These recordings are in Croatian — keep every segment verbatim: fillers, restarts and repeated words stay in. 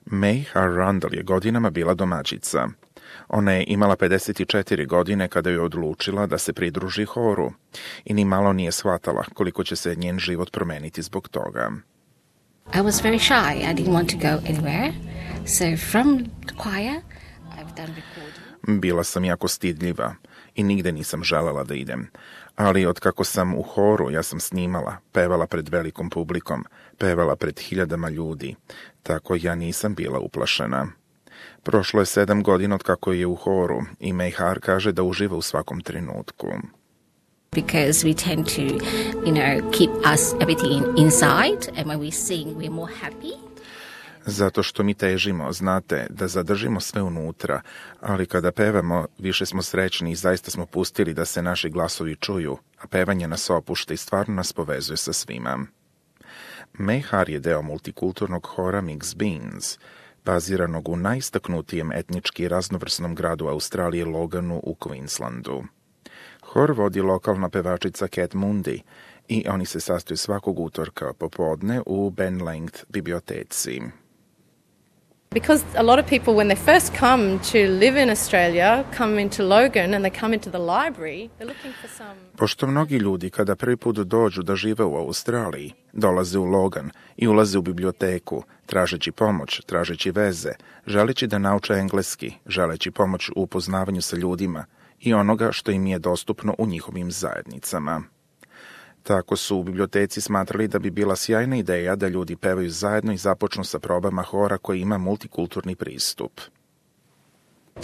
May Har-Randall je godinama bila domaćica. Ona je imala pedeset četiri godine kada je odlučila da se pridruži horu i ni malo nije shvatala koliko će se njen život promeniti zbog toga. I was very shy. I didn't want to go anywhere. So from the choir, I've done recording. Bila sam jako stidljiva i nigde nisam želela da idem. Ali od kako sam u horu, ja sam snimala, pevala pred velikom publikom, pevala pred hiljadama ljudi, tako ja nisam bila uplašena. Prošlo je sedam godina od kako je u horu i May Har kaže da uživa u svakom trenutku. Because we tend to, you know, keep us everything inside, and when we sing, we're more happy. Zato što mi težimo, znate, da zadržimo sve unutra, ali kada pevamo, više smo srećni i zaista smo pustili da se naši glasovi čuju, a pevanje nas opušta i stvarno nas povezuje sa svima. May Har je deo multikulturnog hora Mixed Beans, baziranog u najistaknutijem etnički raznovrsnom gradu Australije Loganu u Queenslandu. Hor vodi lokalna pevačica Cat Mundi i oni se sastoju svakog utorka popodne u Ben Length biblioteci. Because a lot of people, when they first come to live in Australia, come into Logan and they come into the library, they're looking for some... Pošto mnogi ljudi kada prvi put dođu da žive u Australiji, dolaze u Logan i ulaze u biblioteku, tražeći pomoć, tražeći veze, želeći da nauče engleski, želeći pomoć u upoznavanju sa ljudima i onoga što im je dostupno u njihovim zajednicama. Tako su u biblioteci smatrali da bi bila sjajna ideja da ljudi pevaju zajedno i započnu sa probama hora koji ima multikulturni pristup.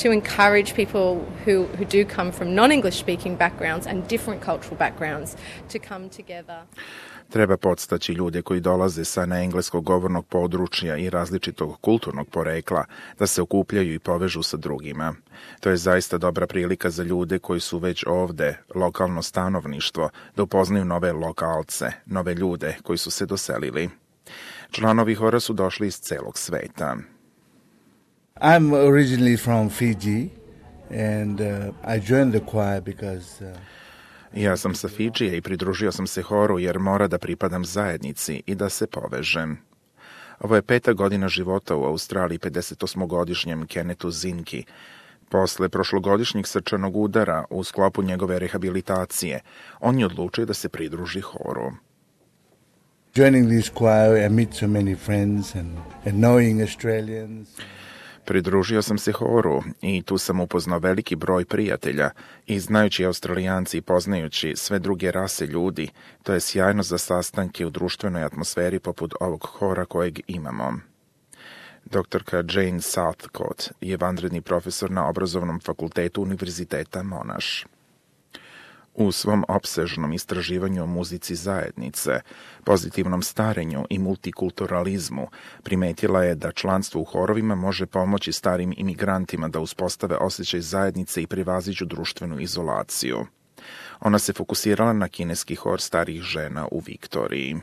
To encourage people who, who do come from non-English speaking backgrounds and different cultural backgrounds to come together. Treba podstaći ljude koji dolaze sa neengleskog govornog područja i različitog kulturnog porekla da se okupljaju i povežu sa drugima. To je zaista dobra prilika za ljude koji su već ovde, lokalno stanovništvo, da upoznaju nove lokalce, nove ljude koji su se doselili. Članovi hora su došli iz celog sveta. I'm originally from Fiji and uh, I joined the choir because... Uh... Ja sam sa Fidžija i pridružio sam se horu jer mora da pripadam zajednici i da se povežem. Ovo je peta godina života u Australiji pedesetosmogodišnjem Kennethu Zinki. Posle prošlogodišnjeg srčanog udara u sklopu njegove rehabilitacije, on je odlučio da se pridruži horu. Joining this choir, I meet so many friends and, and knowing Australians... Pridružio sam se horu i tu sam upoznao veliki broj prijatelja i znajući Australijanci i poznajući sve druge rase ljudi, to je sjajno za sastanke u društvenoj atmosferi poput ovog hora kojeg imamo. Doktorka Jane Southcott je vanredni profesor na obrazovnom fakultetu Univerziteta Monash. U svom opsežnom istraživanju o muzici zajednice, pozitivnom starenju i multikulturalizmu primetila je da članstvo u horovima može pomoći starim imigrantima da uspostave osjećaj zajednice i prevaziđu društvenu izolaciju. Ona se fokusirala na kineski hor starih žena u Viktoriji.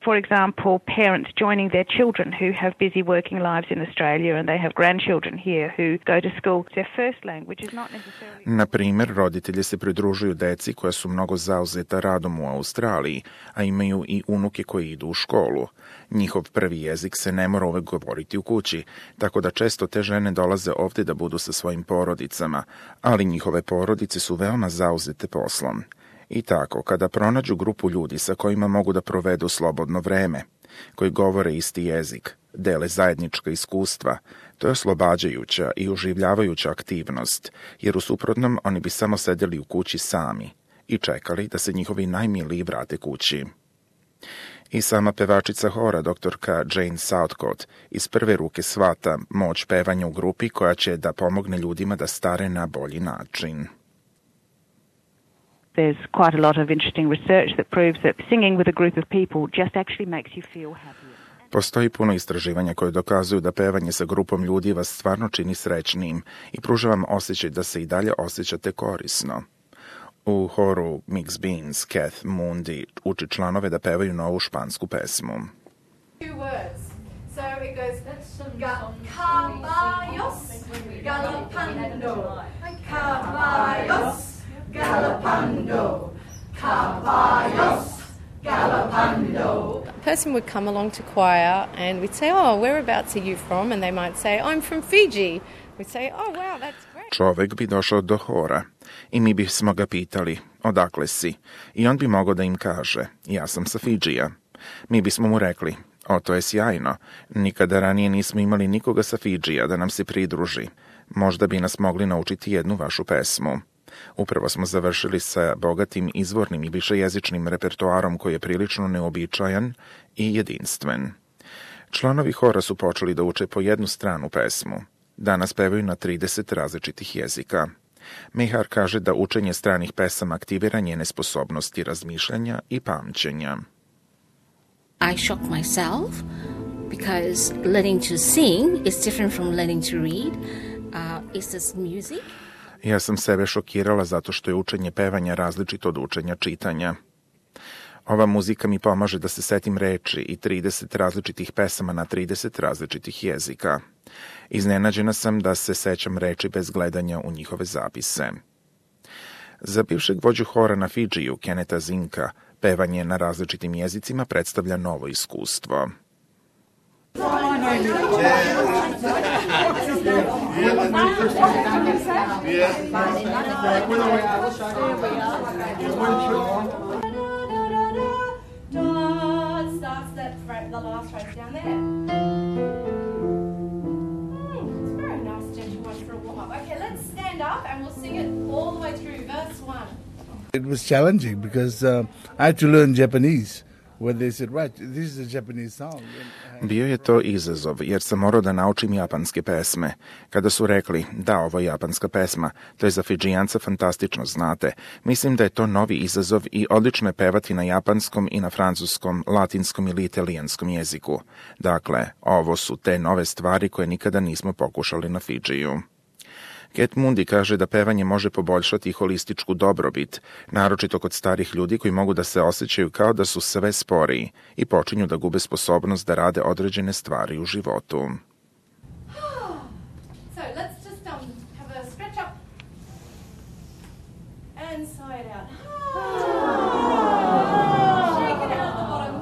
For example, parents joining their children who have busy working lives in Australia and they have grandchildren here who go to school. Their first language is not necessarily... Na primjer, roditelji se pridružuju deci koja su mnogo zauzeta radom u Australiji, a imaju i unuke koji idu u školu. Njihov prvi jezik se ne mora uvek govoriti u kući, tako da često te žene dolaze ovdje da budu sa svojim porodicama, ali njihove porodice su veoma zauzete poslom. I tako, kada pronađu grupu ljudi sa kojima mogu da provedu slobodno vreme, koji govore isti jezik, dele zajednička iskustva, to je oslobađajuća i uživljavajuća aktivnost, jer u suprotnom oni bi samo sedeli u kući sami i čekali da se njihovi najmiliji vrate kući. I sama pevačica hora, doktorka Jane Southcott, iz prve ruke shvata moć pevanja u grupi koja će da pomogne ljudima da stare na bolji način. There's quite a lot of interesting research that proves that singing with a group of people just actually makes you feel happier. Postoji puno istraživanja koje dokazuju da pevanje sa grupom ljudi vas stvarno čini srećnijim i pruža vam osjećaj da se i dalje osjećate korisno. U horu Mixed Beans, Cat Mundi uči članove da pevaju novu špansku pesmu. Two words. So it goes, Ga- caballos, galopando, caballos, galopando, caballos, galopando. person would come along to choir and we'd say, oh, whereabouts are you from? And they might say, I'm from Fiji. We'd say, oh, wow, that's great. Čovek bi došao do hora i mi bismo ga pitali, odakle si? I on bi mogao da im kaže, ja sam sa Fidžija. Mi bismo mu rekli, o, to je sjajno, nikada ranije nismo imali nikoga sa Fidžija da nam se pridruži. Možda bi nas mogli naučiti jednu vašu pesmu. Upravo smo završili sa bogatim izvornim i višejezičnim repertoarom koji je prilično neobičajan i jedinstven. Članovi hora su počeli da uče po jednu stranu pesmu. Danas pevaju na trideset različitih jezika. Mehar kaže da učenje stranih pesama aktivira njene sposobnosti razmišljanja i pamćenja. I shocked myself because learning to sing is different from learning to read. Uh, is this music? Ja sam sebe šokirala zato što je učenje pevanja različito od učenja čitanja. Ova muzika mi pomaže da se setim reči i trideset različitih pesama na trideset različitih jezika. Iznenađena sam da se sećam reči bez gledanja u njihove zapise. Za bivšeg vođu hora na Fidžiju, Keneta Zinka, pevanje na različitim jezicima predstavlja novo iskustvo. It was challenging because uh, I had to learn Japanese. When they said, right, this is a Japanese song. Bio je to izazov, jer sam morao da naučim japanske pesme. Kada su rekli, da, ovo je japanska pesma, to je za Fidžijanca fantastično, znate. Mislim da je to novi izazov i odlično je pevati na japanskom i na francuskom, latinskom ili italijanskom jeziku. Dakle, ovo su te nove stvari koje nikada nismo pokušali na Fidžiju. Cat Mundi kaže da pevanje može poboljšati holističku dobrobit, naročito kod starih ljudi koji mogu da se osjećaju kao da su sve sporiji i počinju da gube sposobnost da rade određene stvari u životu. So let's just um, have a stretch up and sigh it out. Shake it out the bottom.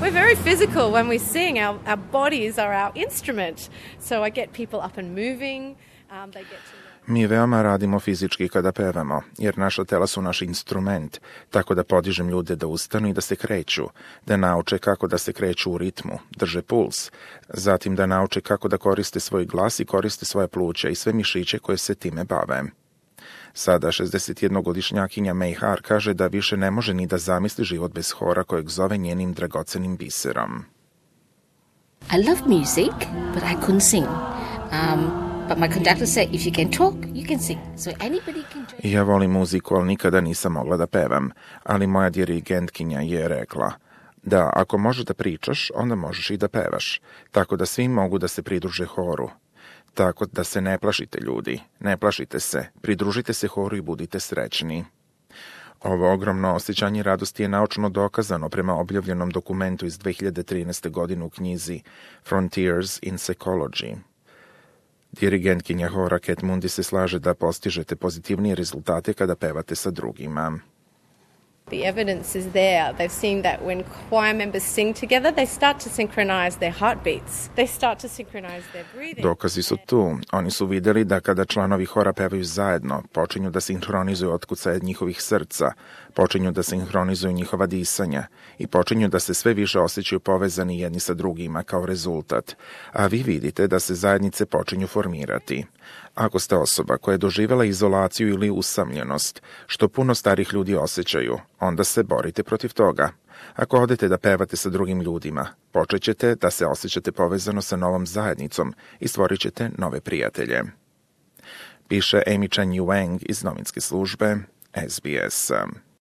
We're very physical when we sing. Our, our bodies are our instrument. So I get people up and moving. Um, they get to... Mi veoma radimo fizički kada pevamo, jer naša tela su naš instrument, tako da podižem ljude da ustanu i da se kreću, da nauče kako da se kreću u ritmu, drže puls, zatim da nauče kako da koriste svoj glas i koriste svoje pluća i sve mišiće koje se time bave. Sada šezdesetjednogodišnjakinja Mehar kaže da više ne može ni da zamisli život bez hora kojeg zove njenim dragocenim biserom. I love music, but I couldn't sing. Um, but my conductor said, if you can talk, you can sing. So anybody can join. Ja volim muziku, ali nikada nisam mogla da pevam, ali moja dirigentkinja je rekla da ako možeš da pričaš, onda možeš i da pevaš, tako da svi mogu da se pridruže horu. Tako da se ne plašite, ljudi, ne plašite se, pridružite se horu i budite srećni. Ovo ogromno osjećanje radosti je naučno dokazano prema objavljenom dokumentu iz dve hiljade trinaeste. godine u knjizi Frontiers in Psychology. Dirigentkinja hora Cat Mundi se slaže da postižete pozitivnije rezultate kada pevate sa drugima. The evidence is there. They've seen that when choir members sing together, they start to synchronize their heartbeats. They start to synchronize their breathing. Dokazi su tu. Oni su vidjeli da kada članovi hora pevaju zajedno, počinju da sinhronizuju otkucaje njihovih srca, počinju da sinhronizuju njihova disanja i počinju da se sve više osjećaju povezani jedni sa drugima kao rezultat. A vi vidite da se zajednice počinju formirati. Ako ste osoba koja je doživjela izolaciju ili usamljenost, što puno starih ljudi osjećaju, onda se borite protiv toga. Ako odete da pevate sa drugim ljudima, počet ćete da se osjećate povezano sa novom zajednicom i stvorit ćete nove prijatelje. Piše Amy Chen Yuang iz novinske službe S B S.